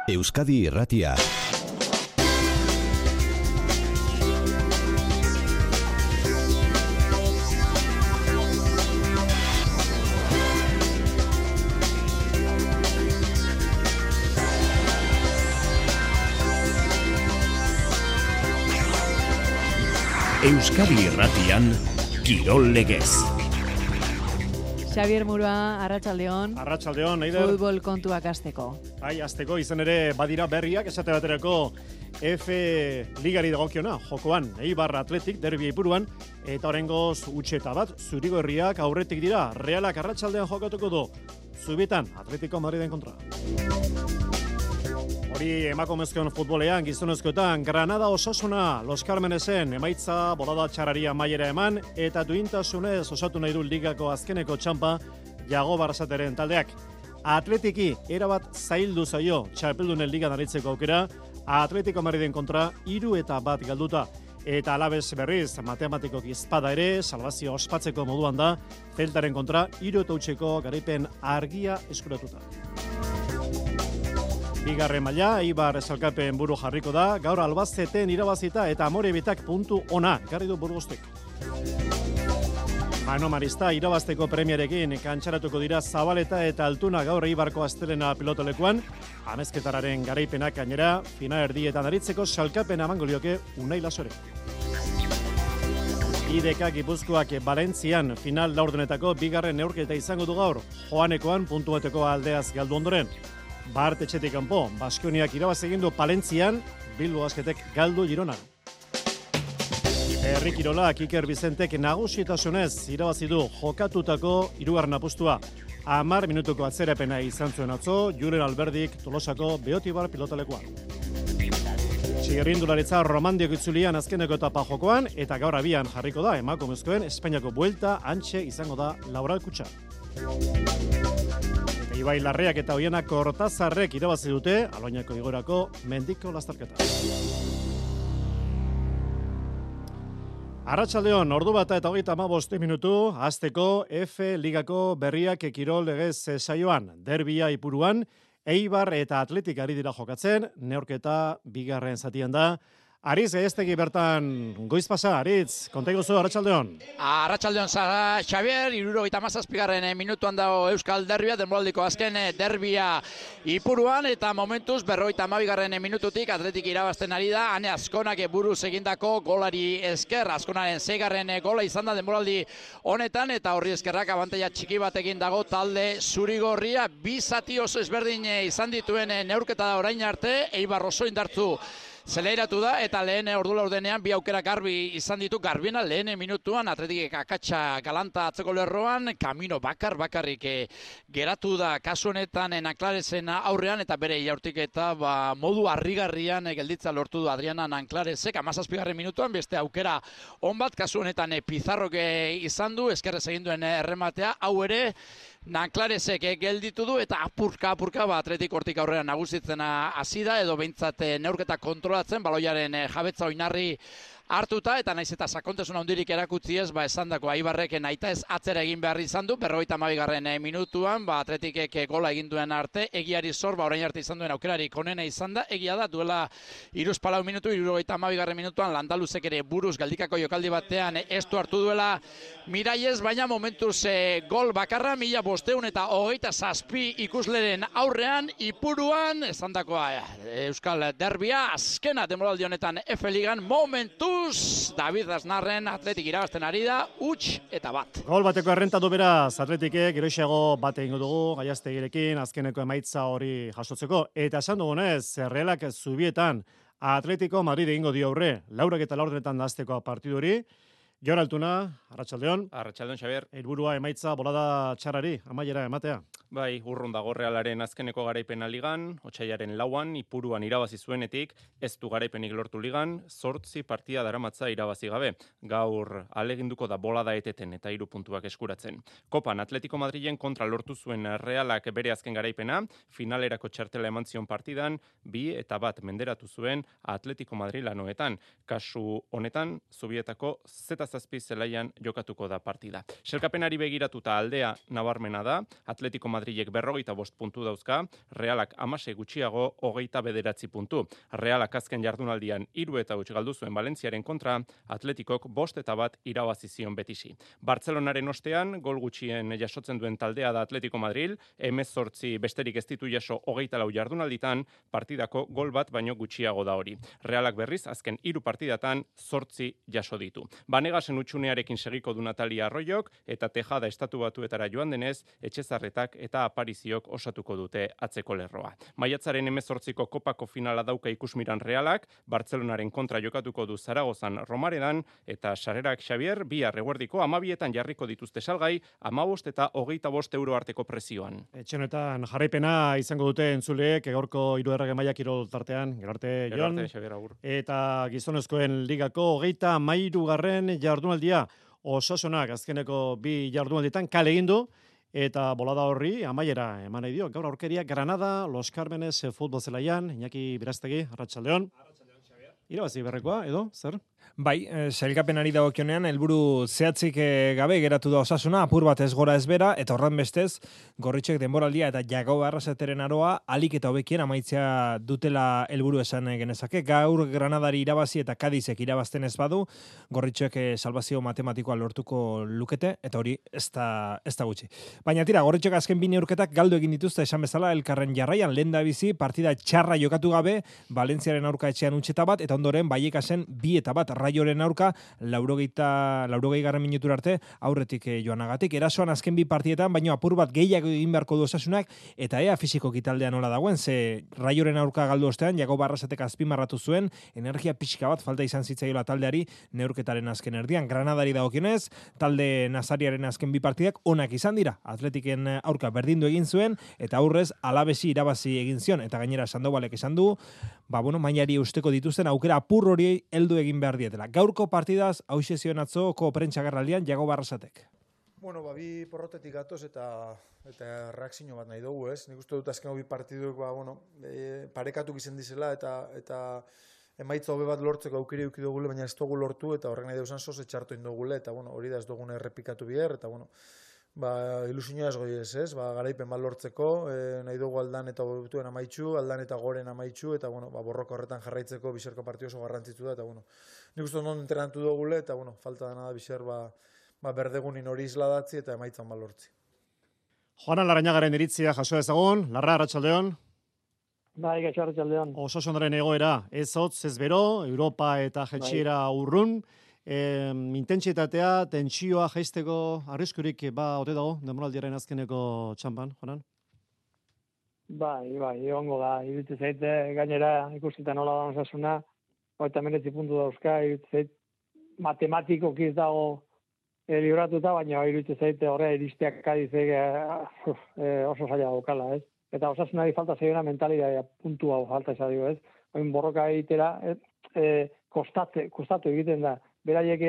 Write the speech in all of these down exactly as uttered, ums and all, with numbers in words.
Euskadi Irratia. Euskadi Irratian Kirol Legez. Xavier Murua, Arratsaldeon. Arratsaldeon, Eider. Futbol kontuak hasteko. Bai, hasteko izan ere badira berriak, esate baterako F Ligari dagokiona, jokoan, Eibar Athletic derbi ipuruan, eta oraingoz utxeta bat, zurigorriak aurretik dira, Realak arratsaldean jokatuko du, Zubietan, Atletico Madriden kontra. Hori emakumezkoen futbolean, gizonezkoetan, Granada Osasuna, Los Carmenesen, emaitza bolada txararia maiera eman, eta duintasunez osatu nahi du ligako azkeneko txampa, Jago Barrasateren taldeak. Atletiki, erabat zaildu zaio, txapeldunen ligan aritzeko aukera, Atletico Madriden kontra, hiru eta bat galduta. Eta alabez berriz, matematikok izpada ere, salvazio ospatzeko moduan da, Zeltaren kontra, hiru eta utxeko garaipen argia eskuratuta. Bigarren maila, Eibar salkapen buru jarriko da, gaur Albazeten irabazita eta Amorebitak puntu ona, garri du Burgostek. Mano Marista irabazteko premiarekin kantxaratuko dira Zabaleta eta Altuna gaur Eibarko astelena pilotolekuan, amezketararen garaipenak gainera, final erdietan aritzeko salkapen amango lioke Unai Lasore. I D K Gipuzkoak Valentzian final laurdenetako bigarren neurketa izango du gaur, joanekoan puntu bateko aldeaz galdu ondoren. Bart etxetik kanpo, Baskoniak irabaz egin du Palentzian, Bilbo Basketek galdu Gironan. Herri kirolak Iker Bizentek nagusitasunez irabazi du jokatutako hirugarren apustua. Hamar minutuko atzerapena izan zuen atzo, Julen Alberdik Tolosako Beotibar pilotalekoan. Txirrindularitza Romandiok itzulian azkeneko etapa jokoan, eta gaur abian jarriko da emakumezkoen Espainiako buelta antxe izango da Laura Kutxa. Ibai Larreak eta Oiana Kortazarrek irabazi dute Aloñako igorako mendiko lastarketa. Arratsaldeon, ordu bata eta hogeita hamabost minutu, hasteko F Ligako berriak Kirol Legez saioan, derbia ipuruan, Eibar eta Atletik ari dira jokatzen, neorketa bigarren zatian da. Aritz, Gaiestegi bertan goiz pasa, Aritz, konta iguzu, Arratsaldeon. Arratsaldeon, Zara, Xavier, hirurogeita hamazazpigarren minutuan dago Euskal Derbia, denboraldiko azken derbia ipuruan, eta momentuz berrogeita hamabigarren minututik Atletik irabazten ari da, Ane Azkonak buruz egindako golari esker, Azkonaren seigarren gola izan da denboraldi honetan, eta horri eskerrak abantaila txiki batekin dago talde zurigorria, bi zati oso ezberdin izan dituen neurketa da orain arte, Eibar oso indartzu zeleiratu da, eta lehen ordu laurdenean bi aukera garbi izan ditu, garbiena lehen minutuan, Atletik akatsa galanta atzeko lerroan, Kamino bakar bakarrik e, geratu da kasu honetan Nanklaresen aurrean, eta bere jaurtik eta ba, modu harrigarrian e, gelditza lortu du Adriana Nanklaresek, hamazazpigarren minutuan, beste aukera on bat, kasu honetan e, Pizarrok e, izan du, eskerrez egin duen errematea, hau ere, Nanklaresek gelditu du eta apurka apurka ba Atletik hortik aurrera nagusitzen hasi da edo behintzat neurketa kontrolatzen baloiaren jabetza oinarri hartuta eta naiz eta sakontasun handirik erakutsi ez ba esandako Aibarrek nahita ez atzera egin behar izan du berrogeita hamabigarren minutuan ba Atletikek gola egin duen arte egiari zor ba orain arte izan duen aukerarik onena izan da egia da duela hiruzpalau minutu hirurogeita hamabigarren minutuan Landaluzek ere buruz galdikako jokaldi batean estu hartu duela Miraiez baina momentuz e, gol bakarra mila bosteun eta hogeita zazpi ikusleren aurrean ipuruan esandakoa Euskal Derbia azkena denboraldi honetan F Ligan momentuz David Aznarren Atletik irabazten ari da, huts eta bat. Gol bateko errenta du beraz Atletikek, geroixeago bate egingo dugu, Gaiastegirekin azkeneko emaitza hori jasotzeko. Eta esan dugunez, Realak Zubietan Atletico Madrid egingo dio aurre, laurak eta laurdenetan dazteko partidu hori. Jon Altuna, Arratsaldeon. Arratsaldeon, Xabier. Helburua emaitza bolada txarari, amaiera ematea. Bai, urrun dago Realaren azkeneko garaipena ligan, otsailaren lauan, ipuruan irabazi zuenetik, ez du garaipenik lortu ligan, zortzi partida daramatza irabazi gabe. Gaur aleginduko da bolada eteten eta hiru puntuak eskuratzen. Kopan Atletico Madrilen kontra lortu zuen Realak bere azken garaipena, finalerako txartela eman zion partidan, bi eta bat menderatu zuen Atletico Madrilanoetan. Kasu honetan, Zubietako zeta hamazazpi zelaian jokatuko da partida. Selkapenari begiratuta aldea nabarmena da, Atletico Madrilek berrogeita bost puntu dauzka, Realak hamasei gutxiago hogeita bederatzi puntu. Realak azken jardunaldian hiru eta huts galdu zuen Valentziaren kontra, Atletikok bost eta bat irabazi zion Betisi. Bartzelonaren ostean, gol gutxien jasotzen duen taldea da Atletico Madril, hemezortzi besterik ez ditu jaso hogeita lau jardunalditan, partidako gol bat baino gutxiago da hori. Realak berriz, azken hiru partidatan zortzi jaso ditu. Banegasen utxunearekin segiko du Natalia Arroyok, eta Tejada estatu batuetara joan denez, Etxezarretak eta Apariziok osatuko dute atzeko lerroa. Maiatzaren hemezortziko kopako finala dauka ikusmiran Realak, Bartzelonaren kontra jokatuko du Zaragozan Romaredan, eta Sarerak Xavier, bihar eguerdiko amabietan jarriko dituzte salgai, amabost eta hogeita bost euro arteko prezioan. Etxenetan jarraipena izango dute entzuleek, gaurko hirugarren maila kirol tartean, gero arte, Jon, eta gizonezkoen ligako hogeita hamairugarren jardunaldia, Osasunak azkeneko bi jardunaldietan kale egin du, eta bolada horri amaiera eman nahi dio. Gaur aurkeria Granada, Los Carmenes futbol zelaian, Iñaki Birastegi, Arratsaldeon. Irabazi berrekoa, edo, zer? Bai, e, sailkapenari dagokionean helburu zehatzik e, gabe geratu da Osasuna, apur bat ez gora ez bera, eta horren bestez, Gorritxek denboraldia eta Jago Arrasateren aroa alik eta hobekien amaitzea dutela helburu esan genezake. Gaur Granadari irabazi eta Kadizek irabazten ez badu, Gorritxek e, salvazio matematikoa lortuko lukete, eta hori ez da, ez da gutxi. Baina tira, Gorritxek azken bi neurketak galdu egin dituzte esan bezala elkarren jarraian, lehen da bizi, partida txarra jokatu gabe, Valentziaren aurka etxean utxeta bat, eta ondoren Baiekasen bi eta bat Raioren aurka, laurogeita, laurogei garren minutura arte, aurretik eh, joanagatik. Erasoan azken bi partietan, baino apur bat gehiago egin beharko du Osasunak, eta ea fisiko kitaldea nola dagoen, ze Raioren aurka galdu ostean, Jago Barrasatek azpimarratu zuen, energia pixka bat falta izan zitzaiola taldeari neurketaren azken erdian. Granadari dagokionez, talde Nazariaren azken bi partidak onak izan dira. Atletiken aurka berdindu egin zuen, eta aurrez alabesi irabazi egin zion, eta gainera Sandobalek esan du, ba, bueno, mailari usteko dituzten aukera apur hori heldu egin behar dietela. Gaurko partidaz, hauxe zion atzoko prentsagarraldian Jago Barrasatek. Bueno, ba, bi porrotetik gatoz eta eta reakzio bat nahi dugu, ez? Nik uste dut azken bi partiduk, ba, bueno, e, parekatuk izan dizela eta eta emaitza hobe bat lortzeko aukeri eduki dugule, baina ez dugu lortu eta horrek nahi duzan zoze txartu indugule eta bueno, hori da ez dugune errepikatu biher eta bueno, ba, ilusioa ez goi ez, ez? Ba, garaipen bat lortzeko, e, nahi dugu aldan eta botuen amaitxu, aldan eta goren amaitxu, eta bueno, ba, borroka horretan jarraitzeko biserko partio oso garrantzitsu da, eta bueno, nik uste non entrenatu dugule, eta bueno, falta dena da biser, ba, ba berdegunin hori isladatzi eta emaitzan bat lortzi. Joanan Larrañagaren iritzia jaso ezagun, Larra, Arratsaldeon. Bai, gaixo Arratsaldeon. Osasunaren egoera, ez hotz, ez bero, Europa eta jetxiera urrun, E, intentsitatea, tentsioa jaisteko arriskurik ba ote dago denboraldiaren azkeneko txanpan, Jonan? Bai, bai, egongo da. Iruditzen zaite gainera ikusita nola da Osasuna, hogeita hemeretzi puntu dauzka, iruditzen zait matematikoki ez dago e, libratuta, baina iruditzen zaite horre iristeak Kadizek e, e, oso zaila daukala, ez? Eta Osasunari falta zaiona mentalitatea puntu hau falta zaio, ez? Oin borroka egitera, e, e, kostate, kostatu egiten da. Beraiek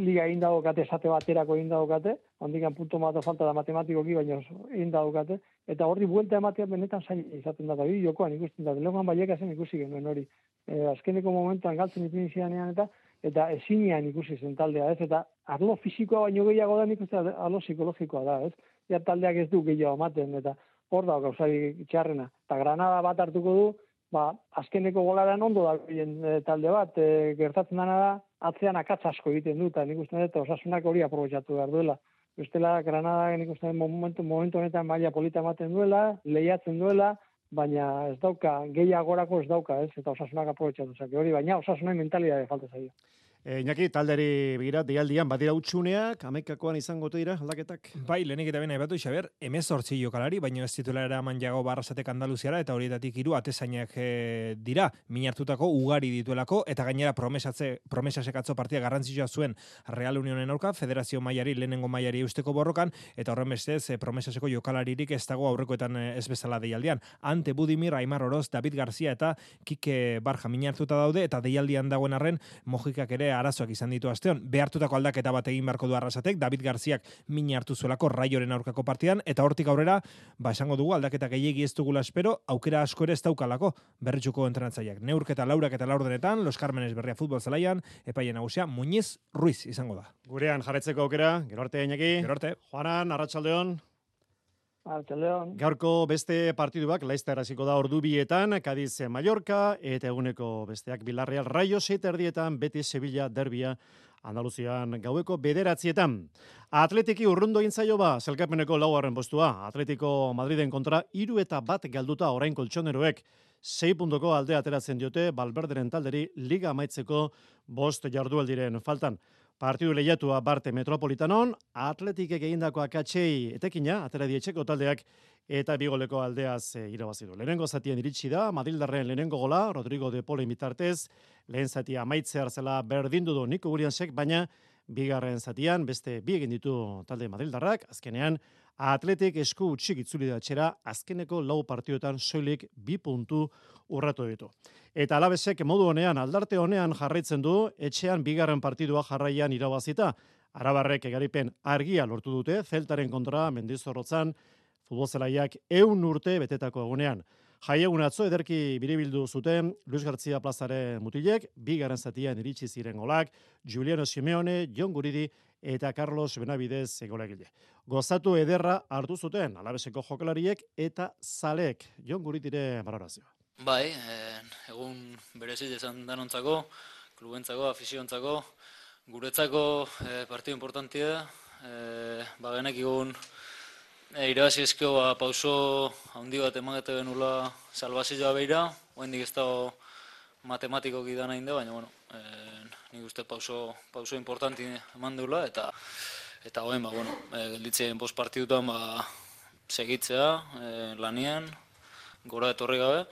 liga egin daukate, esate baterako egin daukate, ondikan puntu mata falta da matematikoki, baina egin daukate, eta horri buelta ematea benetan zain izaten da, bi jokoan ikusten da, lehoan Baiekasen ikusi genuen hori. E, azkeneko momentuan galtzen ipinizianean eta eta ezinean ikusi zen taldea, ez? Eta arlo fisikoa baino gehiago da, nik uste arlo psikologikoa da, ez? Ja taldeak ez du gehiago ematen, eta hor da gauzari txarrena. Eta Granada bat hartuko du, ba, azkeneko golaren ondo da e, talde bat, e, gertatzen dena da, atzean akatz asko egiten du, eta nik uste dut Osasunak hori aprobetxatu behar duela. Bestela, Granada nik uste dut momentu, momentu honetan maila polita ematen duela, lehiatzen duela, baina ez dauka, gehiagorako ez dauka, ez, eta Osasunak aprobetxatu zake hori, baina Osasunak mentalidade falta zaio. E, Iñaki, talderi begira, deialdian badira utxuneak, hamaikakoan izango dira aldaketak? Bai, lehenik eta bena aipatu, Xabier, hemezortzi jokalari, baina ez titulara eman Jago Barrasatek Andaluziara, eta horietatik hiru atezainak e, dira, minartutako ugari dituelako, eta gainera promesatze, promesasek atzo partia garrantzitsua zuen Real Unionen aurka, federazio mailari, lehenengo mailari eusteko borrokan, eta horren bestez, e, promesaseko jokalaririk ez dago aurrekoetan e, ez bezala deialdian. Ante Budimir, Aimar Oroz, David Garcia eta Kike Barja minartuta daude, eta deialdian dagoen arren, Mojikak ere arazoak izan ditu asteon. Behartutako aldaketa bat egin beharko du Arrasatek, David Garziak min hartu zuelako Raioren aurkako partidan, eta hortik aurrera, ba esango dugu aldaketa gehiegi ez dugula espero, aukera asko ere ez daukalako berritxuko entrenatzaileak. Neurketa laurak eta laurdenetan, Los Carmenes Berria futbol zelaian, epaile nagusia Muñiz Ruiz izango da. Gurean jarretzeko aukera, gero arte Iñaki. Gero arte. Juanan, Arratsaldeon. Arratsaldeon. Gaurko beste partiduak Laster hasiko da ordu bietan, Cadiz Mallorca, eta eguneko besteak Villarreal Rayo seit erdietan, Betis Sevilla derbia Andaluzian gaueko bederatzietan. Atletiki urrundo intzaio ba, zelkapeneko laugarren postua. Atletico Madriden kontra hiru eta bat galduta orain koltsoneroek. Sei puntuko aldea ateratzen diote Valverderen talderi liga amaitzeko bost jardualdiren faltan. Partidu lehiatua Barte Metropolitanon, Atletikek egindako akatsei etekina, atera dietxeko taldeak, eta bigoleko aldeaz e, irabazi du. Lehenengo zatien iritsi da, Madrildarren lehenengo gola, Rodrigo de Polen bitartez, lehen zatia amaitze hartzela berdindu du Niko Williamsek, baina bigarren zatian beste bi egin ditu talde Madrildarrak, azkenean Atletik esku utxik itzuli da txera, azkeneko lau partioetan soilik bi puntu urratu ditu. Eta Alabesek modu honean, aldarte honean jarraitzen du, etxean bigarren partidua jarraian irabazita. Arabarrek egaripen argia lortu dute, Zeltaren kontra Mendizorrotzan, futbolzelaiak eun urte betetako egunean. Jaiegun atzo ederki biribildu zuten Luis García Plazaren mutilek, bigarren zatian iritsi ziren golak, Juliano Simeone, Jon Guridi eta Carlos Benavidez golagile. Gozatu ederra hartu zuten Alabeseko jokalariek eta zaleek. Jon Guridire balorazioa. Bai, egun berezi izan danontzako, klubentzako, afiziontzako, guretzako eh, partidu importantia da. Eh, ba genekigun E, irabazi ezkio ba, pauso handi bat emakete benula salbazioa beira, oendik ez dago matematikoki da nahi da, baina bueno, e, nik uste pauso, pauso importanti eman deula, eta eta oen, ba, bueno, e, gelditzen post partidutan ba, segitzea, e, lanian, gora etorri gabe,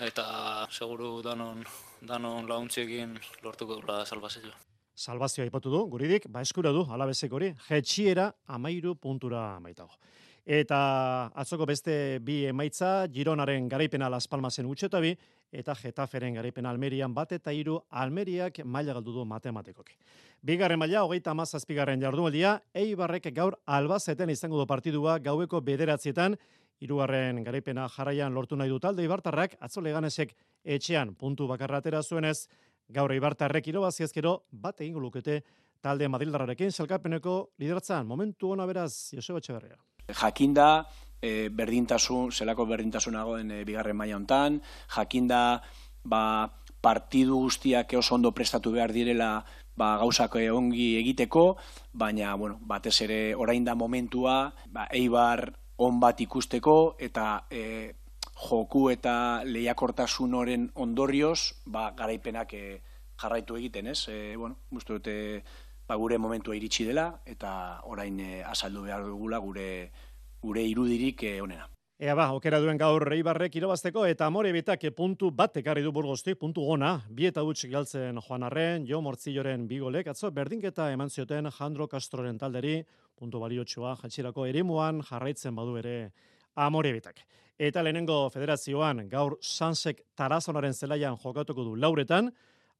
eta seguru danon, danon launtziekin lortuko dula salbazioa. Salbazioa aipatu du, Guridik, ba eskura du, Alabesek hori, jetxiera amairu puntura maitago. Eta atzoko beste bi emaitza, Gironaren garaipena Las Palmasen utxetabi, eta Getaferen garaipena Almerian bat eta hiru Almeriak maila galdu du matematikoki. Bigarren maila, hogeita hamazazpigarren jardunaldia, Eibarrek gaur Albazeten izango du partidua gaueko bederatzietan, hirugarren garaipena jarraian lortu nahi du talde Eibartarrak, atzo Leganesek etxean puntu bakarra atera zuenez, gaur Eibartarrek irabazi ezkero bat egingo lukete talde Madrildarrarekin sailkapeneko lidertzan. Momentu ona beraz, Joseba Etxeberria. Jakinda, e, berdintasun, zelako berdintasunagoen e, bigarren maila hontan, jakinda ba, partidu guztiak oso ondo prestatu behar direla ba, gauzak ongi egiteko, baina bueno, batez ere orain da momentua, ba, Eibar on bat ikusteko eta e, joku eta lehiakortasun horren ondorioz, ba, garaipenak e, jarraitu egiten, ez? E, bueno, uste dute ba, gure momentua iritsi dela, eta orain e, azaldu behar dugula gure, gure irudirik e, onena. Ea ba, okera duen gaur Eibarrek irabazteko, eta Amorebitak puntu bat ekarri du Burgostik, puntu gona, bi eta huts galtzen Juan Arren, Jo Mortzilloren bigolek, atzo berdinketa eman zioten Jandro Castroren talderi, puntu baliotsua jatxirako eremuan jarraitzen badu ere Amorebitak. Eta lehenengo federazioan gaur Sansek Tarazonaren zelaian jokatuko du lauretan,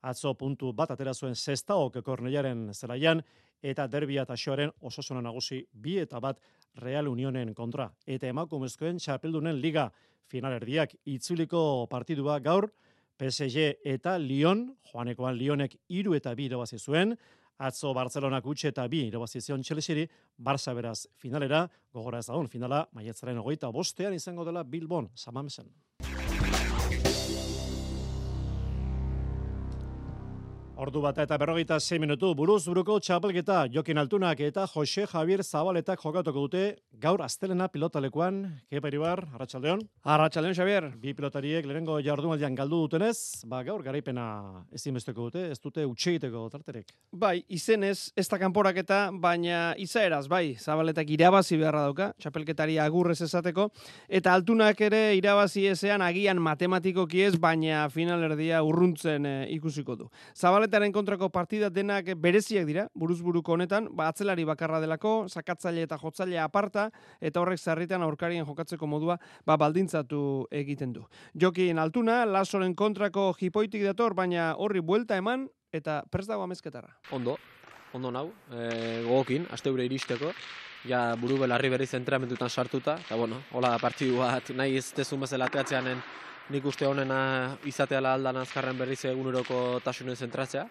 atzo puntu bat atera zuen Sestaok Kornellaren zelaian, eta derbia eta xoaren Osasuna nagusi bi eta bat Real Unionen kontra. Eta emakumezkoen txapeldunen liga finalerdiak itzuliko partidua gaur, P S G eta Lyon, joanekoan Lyonek hiru eta bi irabazi zuen, atzo Barcelonak utxe eta bi irabazi zion Chelsea-ri, Barça beraz finalera, gogora ez dagoen finala, maiatzaren hogeita bostean izango dela Bilbon, Samamesen. Ordu bata eta berrogeita sei minutu, buruz buruko txapelketa Jokin Altunak eta Jose Javier Zabaletak jokatuko dute gaur astelena pilotalekuan. Kepa Iribar, Arratsaldeon. Arratsaldeon, Xavier. Bi pilotariek lehenengo jardunaldian galdu dutenez, ba gaur garaipena ezinbesteko dute, ez dute utxe egiteko tarterek. Bai, izenez ez da kanporaketa, baina izaeraz, bai, Zabaletak irabazi beharra dauka, txapelketari agurrez esateko, eta Altunak ere irabazi ezean agian matematikoki ez, baina finalerdia urruntzen e, ikusiko du. Zabaletak Zabaletaren kontrako partida denak bereziak dira, buruz-buruko honetan, ba, atzelari bakarra delako, sakatzaile eta jotzailea aparta, eta horrek zarritan aurkarien jokatzeko modua ba, baldintzatu egiten du. Jokin Altuna, Lasoren kontrako jipoitik dator, baina horri buelta eman, eta prest dago amezketarra. Ondo, ondo nau, e, gogokin, aste gure iristeko, ja buru belarri berriz entrenamentutan sartuta, eta bueno, hola da partidu bat, nahi ez tezun bezala ateatzeanen nik uste honena izateala aldan azkarren berriz eguneroko tasunen zentratzea,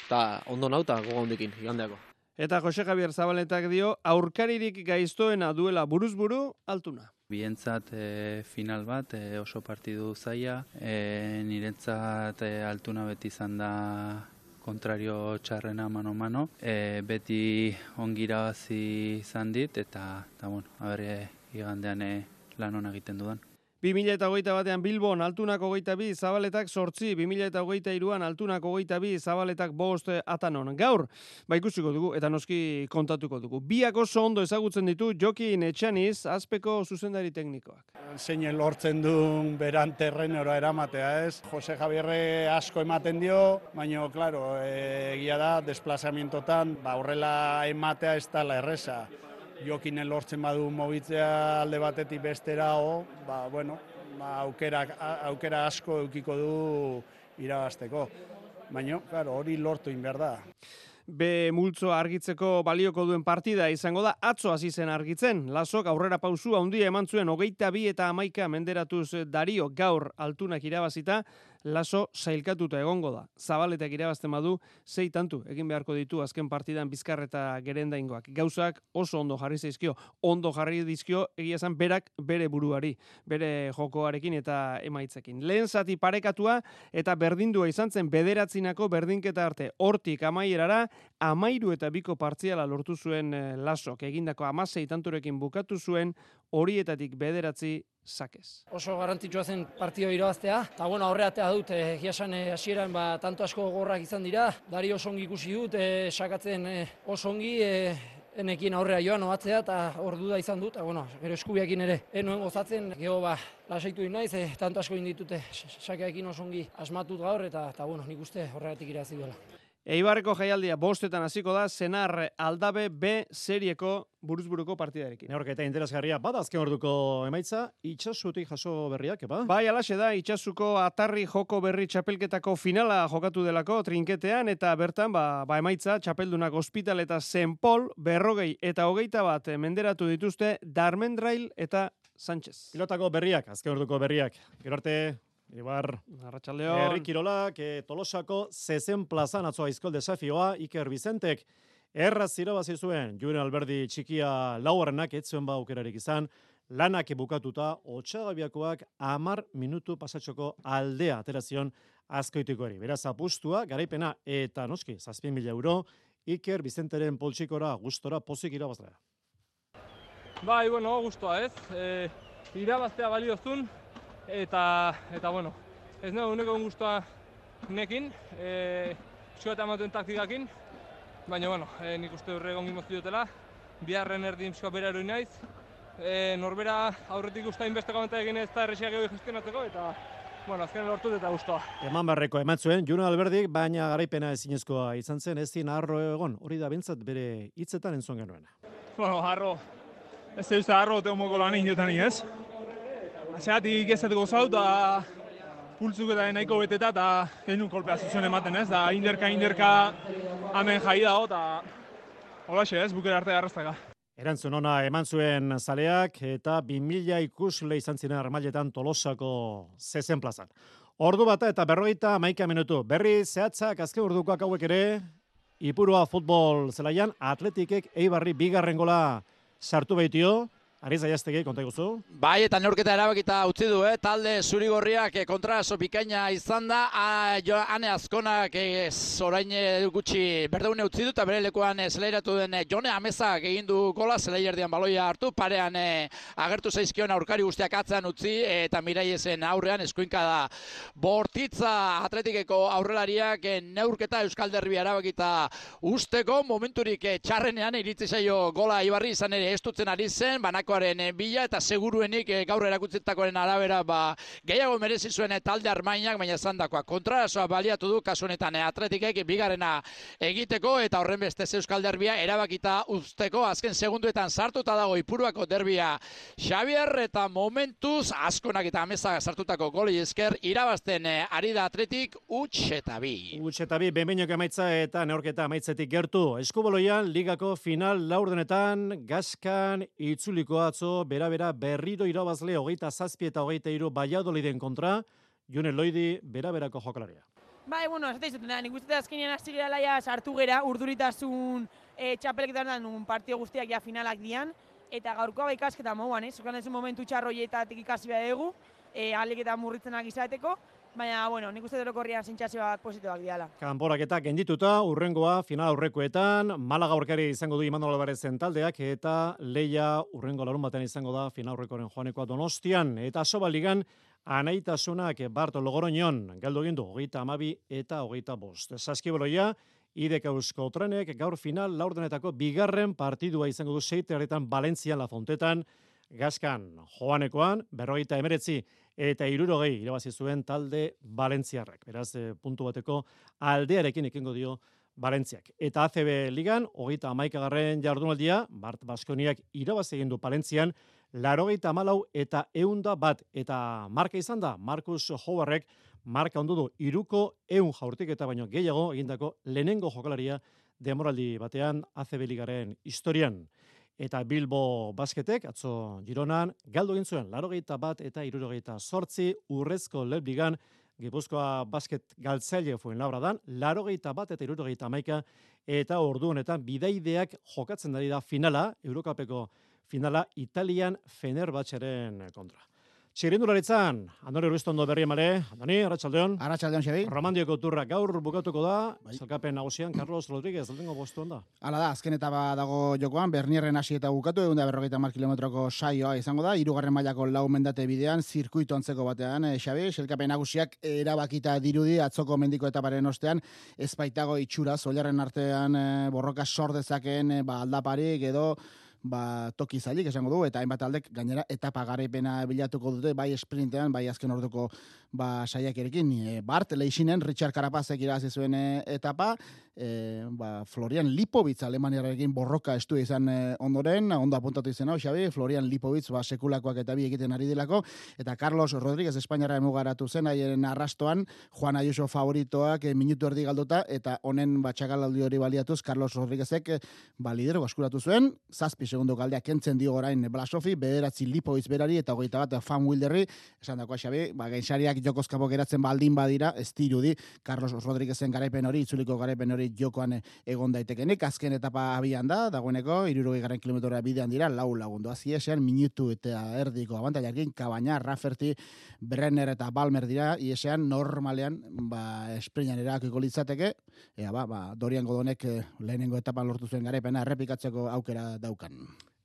eta ondo nau eta gogo hondikin, igandeako. Eta Jose Javier Zabaletak dio, aurkaririk gaiztoena duela buruz-buru altuna. Bientzat e, final bat, e, oso partidu zaila, e, niretzat e, altuna beti izan da kontrario txarrena mano-mano, e, beti ongirabazi izan dit, eta, eta bueno, haber, igandean e, lan hona egiten dudan. bi mila hogeita batean Bilbon altunak hogeita bi, Zabaletak zortzi, bi mila hogeita hiruan altunak hogeita bi, Zabaletak bost atanon. Gaur, ba ikusiko dugu eta noski kontatuko dugu. Biak oso ondo ezagutzen ditu Jokin Etxaniz, Azpeko zuzendari teknikoak. Zein lortzen duen beran terrenora eramatea, ez? Jose Javierre asko ematen dio, baina, klaro, egia da, desplazamientotan, ba, horrela ematea ez da la erresa. Jokinen lortzen badu mobitzea alde batetik bestera, o, ba, bueno, ba, aukera, aukera asko eukiko du irabazteko. Baina, claro, hori lortu inber da. Be multzoa argitzeko balioko duen partida izango da, atzo hasi zen argitzen. Lasok aurrera pausu handia eman zuen hogeita bi eta hamaika menderatuz Dario gaur altunak irabazita, Laso sailkatuta egongo da. Zabaletak irabazten badu, sei tantu egin beharko ditu azken partidan Bizkar eta Gerendaingoak. Gauzak oso ondo jarri zaizkio, ondo jarri dizkio egia esan berak bere buruari, bere jokoarekin eta emaitzekin. Lehen zati parekatua eta berdindua izan zen bederatzinako berdinketa arte. Hortik amaierara, amairu eta biko partziala lortu zuen Lasok. Egindako amasei tanturekin bukatu zuen, horietatik bederatzi sakez. Oso garrantzitsua zen partio irabaztea, eta bueno, aurreatea dut, egia esan hasieran ba, tanto asko gogorrak izan dira, Dari oso ongi ikusi dut, e, sakatzen e, oso ongi, e, enekin aurrea joan obatzea, eta hor duda izan dut, eta bueno, gero eskubiakin ere, enuen gozatzen, gero ba, lasaitu naiz, e, tanto asko inditute, sakeakin oso ongi asmatut gaur, eta, eta bueno, nik uste horregatik irabazi duela. Eibarreko jaialdia bostetan hasiko da, Senar Aldabe B serieko buruzburuko partidarekin. Neorketa interesgarria, bada azken orduko emaitza, itxasutik jaso berriak, eba? Bai, alaxe da, itxasuko atarri joko berri txapelketako finala jokatu delako trinketean, eta bertan, ba, ba emaitza, txapeldunak Hospital eta Saint Paul, berrogei eta hogeita bat menderatu dituzte Darmendrail eta Sánchez. Pilotako berriak, azken orduko berriak. Gero arte, Ibar, Arratsaldeon. Herri Kirolak, e, Tolosako zezen plazan atzo aizkol desafioa, Iker Bizentek, erraz irabazi zuen, Julen Alberdi txikia laugarrenak ez zuen ba aukerarik izan, lanak bukatuta, Otsagabiakoak hamar minutu pasatxoko aldea aterazion azkoitikoari. Beraz apustua, garaipena eta noski, zazpien mila euro, Iker Bizenteren poltsikora, gustora, pozik irabazlea. Bai, bueno, gustoa ez, e, irabaztea baliozun, Eta, eta bueno, ez nago uneko guztua nekin, e, pixkoa ematuen taktikakin, baina, bueno, e, nik uste horre egon gimoztu dutela, biharren erdin pixkoa bera eroi naiz, e, norbera aurretik usta inbesteko amenta egin ez da erresiak egu gestionatzeko, eta, bueno, azken lortut eta guztua. Eman barreko eman zuen, Julen Alberdik, baina garaipena ezinezkoa izan zen, ez zin harro egon, hori da bintzat bere hitzetan entzun genuen. Bueno, harro, ez da uste harro tegon moko lan indiotan ez? Aseatik ez dut gozau, eta pultzuk eta nahiko beteta, eta genuen kolpea zuzen ematen ez, da inderka, inderka hemen jai dago, eta holaxe ez, bukera arte garrastaka. Erantzun ona eman zuen zaleak, eta bi mila ikusle izan ziren armailetan Tolosako zezen plazan. Ordu bata eta berrogeita hamaika minutu. Berri zehatzak azken ordukoak hauek ere, Ipurua futbol zelaian, Atletikek Eibarri bigarren gola sartu baitio. Ariza Jaztegi, konta iguzu? Bai, eta neurketa erabakita utzi du, eh? Talde zurigorriak kontraso bikaina izan da, Ane Azkonak orain gutxi berdeune utzi du, eta bere lekuan zelairatu den Jone Amezak egin du gola, zelaierdian baloia hartu, parean agertu zaizkion aurkari guztiak atzean utzi, eta Miraiesen aurrean eskuinka da Bortitza Atletikeko aurrelariak neurketa Euskal Derbia erabakita usteko, momenturik txarrenean iritzi zaio gola Ibarri izan ere estutzen ari zen, banako puntukoaren bila, eta seguruenik gaur erakutzitakoaren arabera ba, gehiago merezi zuen talde Armainak, baina zandakoa kontrarazoa baliatu du kasu honetan Atletikek bigarrena egiteko, eta horren beste Euskal Derbia erabakita uzteko, azken segunduetan sartuta dago Ipuruako derbia Xavier, eta momentuz askonak eta amezak sartutako goli esker irabazten ari da Atletik huts eta bi. Huts eta bi, benbeinok emaitza eta neorketa amaitzetik gertu. Eskubaloian ligako final laurdenetan Gaskan itzuliko atzo bera-bera berriro irabazle hogeita zazpi eta hogeita hiru Valladoliden kontra, June Loidi bera-berako jokalaria. Bai, bueno, ez da izutena, nik uste azkenean hasi gara laia sartu gera, urduritasun e, txapelketan un partio guztiak ja finalak dian, eta gaurkoa ba ikasketa moguan, eh? Zukan ez un momentu txarroietatik ikasi behar dugu, e, aliketa murritzenak izateko, baina, bueno, nik uste dorokorrian zintxazioak positoak diala. Kanporaketa gendituta, urrengoa final aurrekoetan, Malaga aurkari izango du Imanol Albarezen taldeak, eta Leia urrengo larun batean izango da final aurrekoren joanekoa Donostian, eta Sobaligan anaitasunak Barto Logoroñon, galdu egin du hogeita hamabi eta hogeita bost. Saskiboloia, Idek Eusko Trenek gaur final laurdenetako bigarren partidua izango du seitearetan Valentzian La Fontetan, Gaskan joanekoan, berrogeita emeretzi eta hirurogei irabazi zuen talde Valentziarrak. Beraz, puntu bateko aldearekin ekingo dio Valentziak. Eta A C B Ligan, hogeita hamaikagarren jardunaldia, Bart Baskoniak irabazi egin du Palentzian, laurogeita hamalau eta ehunda bat, eta marka izan da, Marcus Howardek marka ondu du hiruko ehun jaurtiketa baino gehiago egindako lehenengo jokalaria demoraldi batean A C B Ligaren historian. Eta Bilbo Basketek, atzo Gironan, galdu egin zuen, laurogeita bat eta hirurogeita zortzi, Urrezko Lebligan, Gipuzkoa Basket galtzaile Fuenlabradan, laurogeita bat eta hirurogeita hamaika, eta ordu honetan bidaideak jokatzen ari da finala, Eurokapeko finala Italian Fenerbahçeren kontra. Txirrindularitzan, Andoni Ruiztondo berri emale. Andoni, Arratxaldeon. Arratxaldeon, Xabi. Romandioko turra gaur bukatuko da, zelkapen nagusian, Carlos Rodríguez, aldengo bostuan da. Hala da, azken etapa dago jokoan, Bernierren hasi eta bukatu, egun da berrogeita hamar kilometroko saioa izango da, hirugarren mailako lau mendate bidean, zirkuito antzeko batean, eh, Xabi, zelkapen nagusiak erabakita dirudi, atzoko mendiko etaparen ostean, ez baitago itxura, zolarren artean eh, borroka sor dezakeen eh, ba, aldaparik edo, ba, toki zailik esango du, eta hainbat aldek gainera etapa garaipena bilatuko dute, bai sprintean, bai azken orduko ba, saiakerekin. E, Bart, Leixinen, Richard Carapazek irabazi zuen e, etapa, e, ba, Florian Lipovitz Alemaniarekin borroka estu izan e, ondoren, ondo apuntatu izan hau, Xabi, Florian Lipovitz ba, sekulakoak eta bi egiten ari delako, eta Carlos Rodríguez Espainiara emugaratu zen, haien arrastoan, Juan Ayuso favoritoak e, minutu erdi galduta, eta honen batxakalaldi hori baliatuz, Carlos Rodríguezek e, ba, lidergo askuratu zuen, zazpi segundo galdea kentzen dio orain Blasofi, bederatzi Lipovitz berari eta hogeita bat Fan Wilderri, esan dakoa Xabi, ba, gainsariak jokozkapo geratzen baldin badira, ez dirudi Carlos Rodríguezen garaipen hori, itzuliko garaipen hori jokoan egon daitekenik, azken etapa abian da, dagoeneko, irurogei garren kilometrora bidean dira, lau lagundu, aziesean minutu eta erdiko abantailarkin, Kabaina, Rafferty, Brenner eta Balmer dira, iesean normalean, ba, esprinan erakiko litzateke, ea ba, ba, Dorian Godonek lehenengo etapan lortu zuen garaipena, errepikatzeko aukera daukan.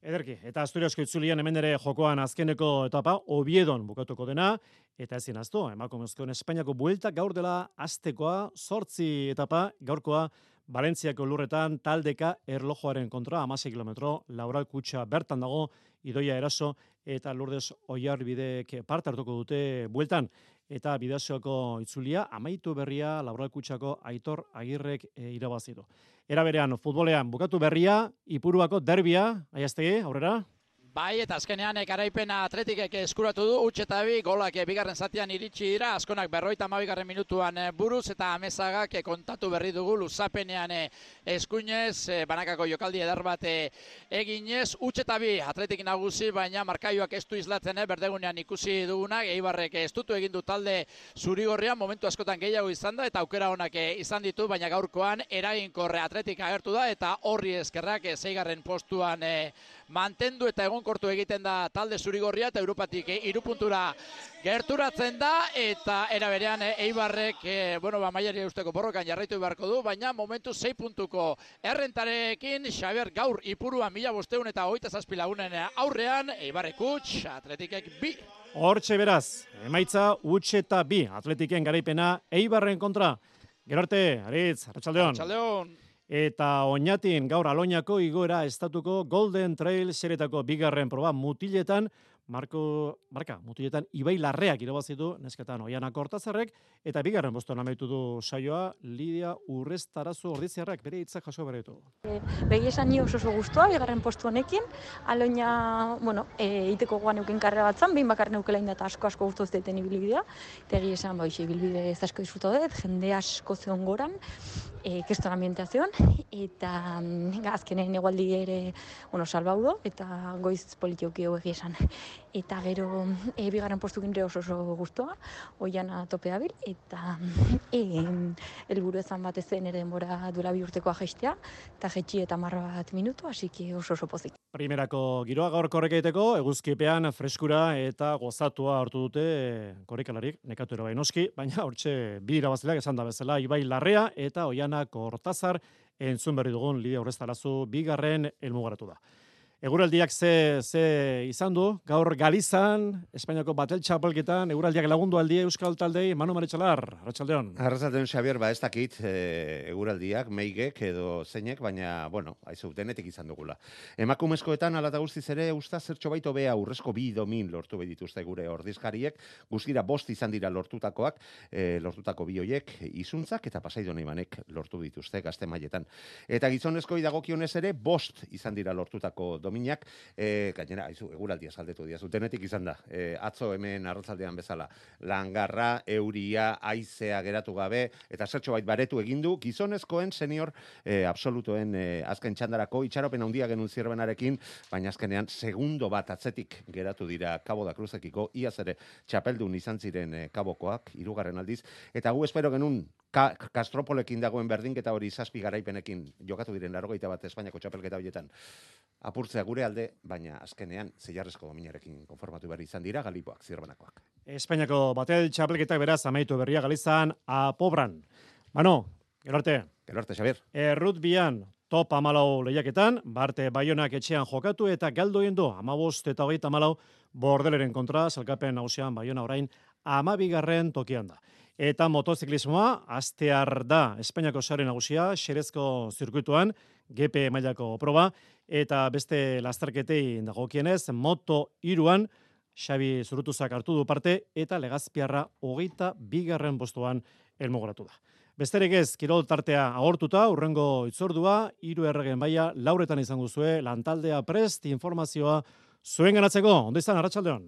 Ederki, eta Asturiasko itzulian hemen ere jokoan azkeneko etapa, Oviedon bukatuko dena, eta ezin aztu, emakumezkoen Espainiako buelta gaur dela aztekoa, zortzi etapa, gaurkoa, Valentziako lurretan taldeka erlojoaren kontra, hamasei kilometro, Laural Kutxa bertan dago, Idoia Eraso, eta Lourdes Oiarbidek parte hartuko dute bueltan, eta Bidasoako itzulia, amaitu berria, Laural Kutxako Aitor Agirrek e, irabazidu. Era berean, futbolean bukatu berria, Ipuruako derbia, Aiaztegi, aurrera? Bai, eta azkenean garaipena Atletikek eskuratu du, huts eta bi, golak bigarren zatian iritsi dira, askonak berroita hamabigarren minutuan buruz, eta Amezagak kontatu berri dugu luzapenean eskuinez, banakako jokaldi edar bat eginez, huts eta bi, Atletik nagusi, baina markaioak ez du izlatzen, berdegunean ikusi dugunak, Eibarrek estutu egin du talde zurigorrian, momentu askotan gehiago izan da, eta aukera honak izan ditu, baina gaurkoan eraginkorre Atletik agertu da, eta horri eskerrak zeigarren postuan mantendu eta egon kortu egiten da talde zurigorria eta Europatik hiru puntura gerturatzen da, eta era berean Eibarrek e, bueno, ba, mailari eusteko borrokan jarraitu beharko du, baina momentu sei puntuko errentarekin Xabier gaur Ipuruan mila bosteun eta hogeita zazpi lagunen aurrean, Eibarrek huts, Atletikek bi. Hortxe beraz, emaitza huts eta bi, Atletiken garaipena Eibarren kontra. Gero arte, Aritz, Arratxaldeon. Arratxaldeon. Eta Oñatin gaur Aloñako igoera estatuko Golden Trail serietako bigarren proba mutiletan, Marko, marka, mutiletan Ibai Larreak irabazitu, nesketan Oiana Kortazarrek, eta bigarren bostuan amaitu du saioa Lidia Urrestarazu Ordiziarrak bere hitzak jaso beretu. Begi esan ni oso oso guztua, bigarren postu honekin, Aloña, bueno, e, iteko goan euken karrera batzan, behin bakar neukela inda eta asko asko guztu zeten ibilbidea, eta egi esan, ba, ibilbide ez asko disfruto dut, jende asko zeon goran, e, keston ambientazioan, eta mm, azkenen egualdi ere, bueno, salbaudo, eta goiz politioki egi esan. Eta gero e, bigarren postukin ere oso oso guztua, Oiana tope dabil, eta e, helburu ezan bat ezen ere denbora duela bi urtekoa jaistea, eta jetxi eta marra bat minutu, hasi oso oso pozik. Primerako giroa gaur korreka egiteko, eguzkipean freskura eta gozatua hartu dute e, korrikalarik, nekatu ere noski, baina hortxe bi irabazleak esan da bezala, Ibai Larrea eta Oiana Kortazar entzun berri dugun Lidia Urrestarazu bigarren helmugaratu da. Eguraldiak ze, ze izan du, gaur Galizan, Espainiako batel txapelketan, eguraldiak lagundu aldi Euskal Taldei, Manu Maritxalar, Arratsaldeon. Arratsaldeon, Xabier, ba ez dakit e, eguraldiak, meigek edo zeinek, baina, bueno, aizu, denetik izan dugula. Emakumezkoetan, alata guztiz ere, usta zertxo baito bea urrezko bi domin lortu behituzte gure ordizkariek, guztira bost izan dira lortutakoak, e, lortutako bi hoiek, izuntzak eta Pasaidon Ibanek lortu dituzte gazte mailetan. Eta gizonezkoi dagokionez ere, bost izan dira lortutako dominak, e, gainera, aizu, eguraldia saldetu dira, zutenetik izan da, e, atzo hemen arratzaldean bezala, langarra, euria, aizea geratu gabe, eta zertxo bait baretu egindu, gizonezkoen senior e, absolutuen e, azken txandarako, itxaropen handia genuen zirbenarekin, baina azkenean segundo bat atzetik geratu dira Cabo da Cruzekiko, iaz ere txapeldun izan ziren e, Kabokoak, hirugarren aldiz, eta gu espero genuen Ka Kastropolekin dagoen berdinketa hori zazpi garaipenekin jokatu diren laurogeita bat Espainiako txapelketa horietan apurtzea gure alde, baina azkenean zeiarrezko dominarekin konformatu behar izan dira Galipoak, zirbanakoak. Espainiako batel txapelketak beraz amaitu berria Galizan apobran. Bano, gero arte. Gero arte, Xabier. Errutbian top amalau lehiaketan, Barte Baionak etxean jokatu eta galdu egin du amabost eta hogeita amalau Bordeleren kontra, salkapen nagusian Baiona orain amabigarren tokian da. Eta motoziklismoa, astear da Espainiako sare nagusia, Xerezko zirkuituan, G P mailako proba, eta beste lasterketei dagokienez, moto iruan, Xabi Zurutuzak hartu du parte, eta Legazpiarra hogeita bigarren postuan helmugoratu da. Besterik ez, kirol tartea agortuta, urrengo itzordua, hiru erregen baia, lauretan izango zue, lantaldea prest, informazioa zuen ganatzeko, ondo izan, Arratsaldeon.